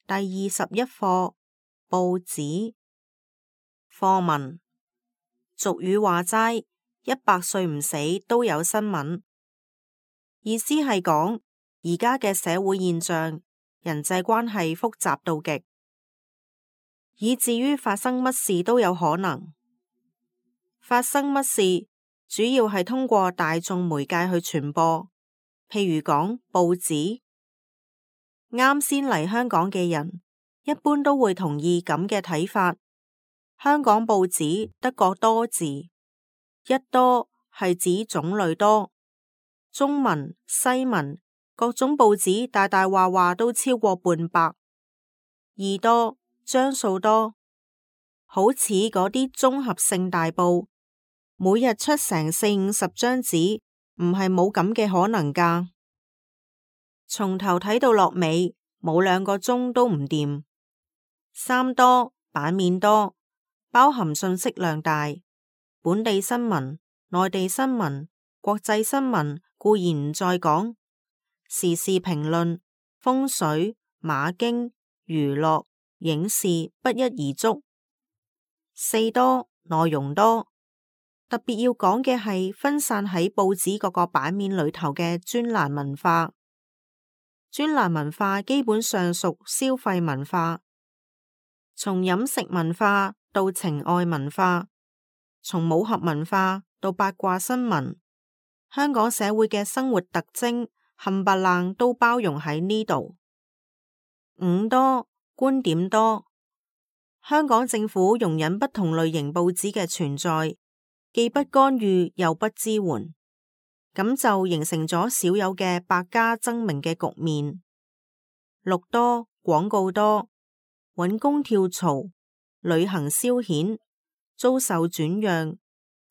第21課報紙課文。俗語話齋，100歲唔死都有新聞。意思係講而家嘅社會現象，人際關係複雜到極，以至於發生乜事都有可能。發生乜事主要係通過大眾媒介去傳播，譬如講報紙。啱先嚟香港嘅人一般都會同意咁嘅睇法。香港報紙得個多字，一多係指種類多，中文、西文各種報紙大大話話都超過半百。二多張數多，好似嗰啲綜合性大報，每日出成40-50張紙，唔係冇咁嘅可能㗎。從頭睇到落尾，冇2個鐘都唔掂。三多版面多，包含信息量大，本地新聞、內地新聞、國際新聞固然唔再講，時事評論、風水、馬經、娛樂、影視不一而足。四多內容多，特別要講嘅係分散喺報紙各個版面裏頭嘅專欄文化。專欄文化基本上屬消費文化，從飲食文化到情愛文化，從武俠文化到八卦新聞，香港社會嘅生活特徵冚唪唥都包容喺呢度。五多觀點多，香港政府容忍不同類型報紙嘅存在，既不干預又不支援，咁就形成咗少有嘅百家爭鳴嘅局面。六多廣告多，揾工跳槽、旅行消遣、租售轉讓、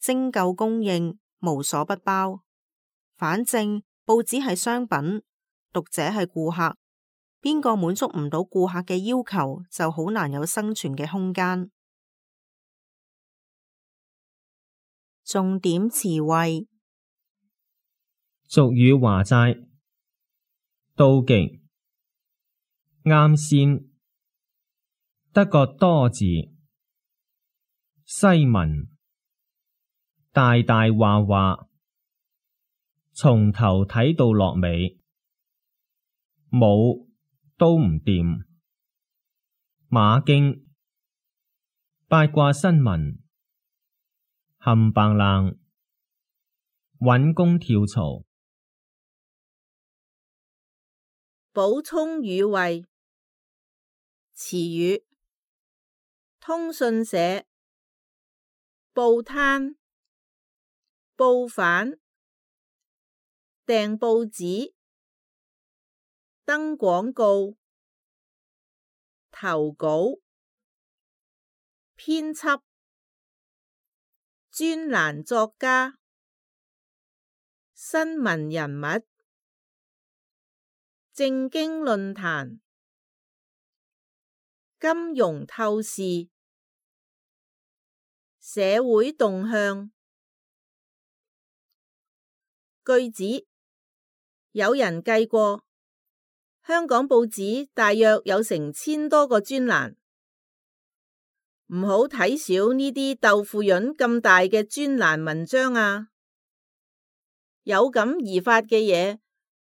徵購供應，無所不包。反正報紙係商品，讀者係顧客，邊個滿足唔到顧客嘅要求，就好難有生存嘅空間。重點詞彙。俗語話齋，到極，啱先，得個多字，西文，大大話話，從頭睇到落尾，冇都唔掂，馬經，八卦新聞，冚唪唥，揾工跳槽。補充語彙。詞語：通訊社、報攤、報販、訂報紙、登廣告、投稿、編輯、專欄作家、新聞人物、政經論壇、金融透視、社會動向。句子：有人計過，香港報紙大約有成1000多個專欄。唔好睇小呢啲豆腐潤咁大嘅專欄文章啊！有感而發嘅嘢，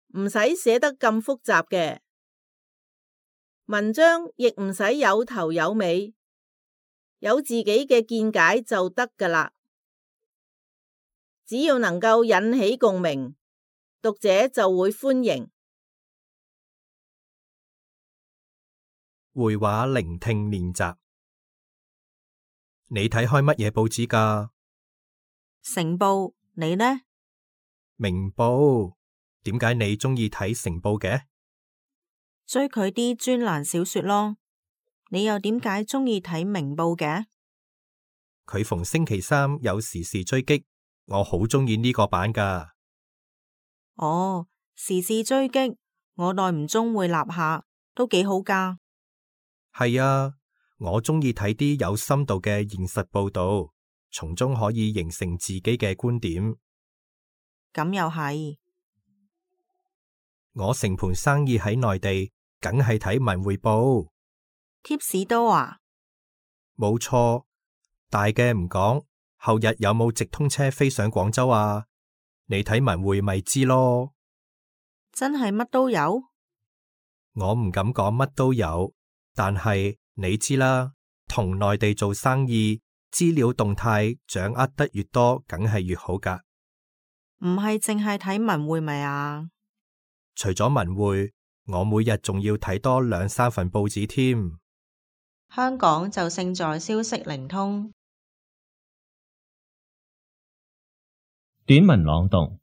唔使寫得咁複雜嘅，文章亦唔使有頭有尾，有自己嘅見解就得㗎喇。只要能夠引起共鳴，讀者就會歡迎。會話聆聽練習。你睇開乜嘢報紙㗎？成報，你呢？明報。點解你鍾意睇成報嘅？追佢啲專欄小說咯。你又點解鍾意睇明報嘅？佢逢星期三有時事追擊，我好鍾意呢個版㗎。哦，時事追擊，我耐唔中會立下，都幾好㗎。係啊，我鍾意睇啲有深度嘅現實報導，從中可以形成自己嘅觀點。咁又係。我成盤生意喺內地，梗係睇文匯報。貼士多啊？冇錯，大嘅唔講，後日有冇直通車飛上廣州啊？你睇文匯咪知咯。真係乜都有？我唔敢講乜都有，但係你知啦，同內地做生意，資料動態掌握得越多，梗係越好㗎。唔係淨係睇文匯咪啊？除咗文匯，我每日仲要睇多2-3份報紙添。香港就勝在消息靈通。短文朗讀：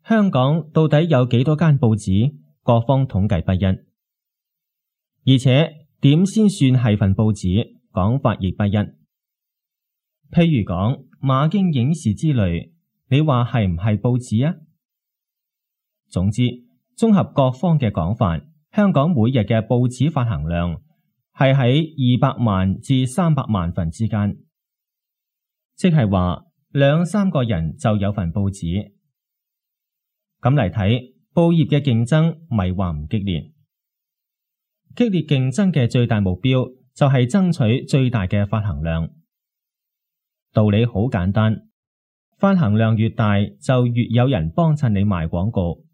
香港到底有幾多間報紙？各方統計不一，而且點先算係份報紙？講法亦不一。譬如講馬經影視之類，你話係唔係報紙啊？總之，綜合各方嘅講法，香港每日嘅報紙發行量係喺200萬至300萬份之間，即係話2-3個人就有份報紙。咁嚟睇，報業嘅競爭咪話唔激烈？激烈競爭嘅最大目標就係爭取最大嘅發行量。道理好簡單，發行量越大，就越有人幫襯你賣廣告，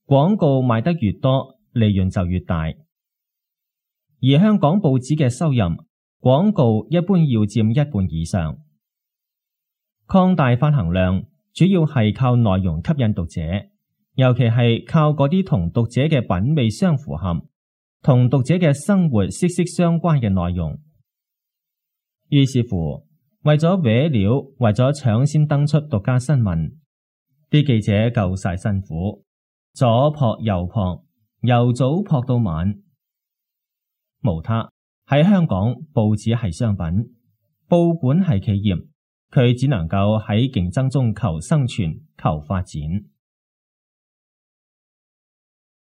廣告賣得越多，利潤就越大。而香港報紙嘅收入，廣告一般要佔1半以上。擴大發行量，主要係靠內容吸引讀者，尤其係靠嗰啲同讀者嘅品味相符合，同讀者嘅生活息息相關嘅內容。於是乎，為咗搲料，為咗搶先登出獨家新聞，啲記者夠晒辛苦，左撲右撲，由早撲到晚。無他，喺香港，報紙係商品，報館係企業，佢只能夠喺競爭中求生存、求發展。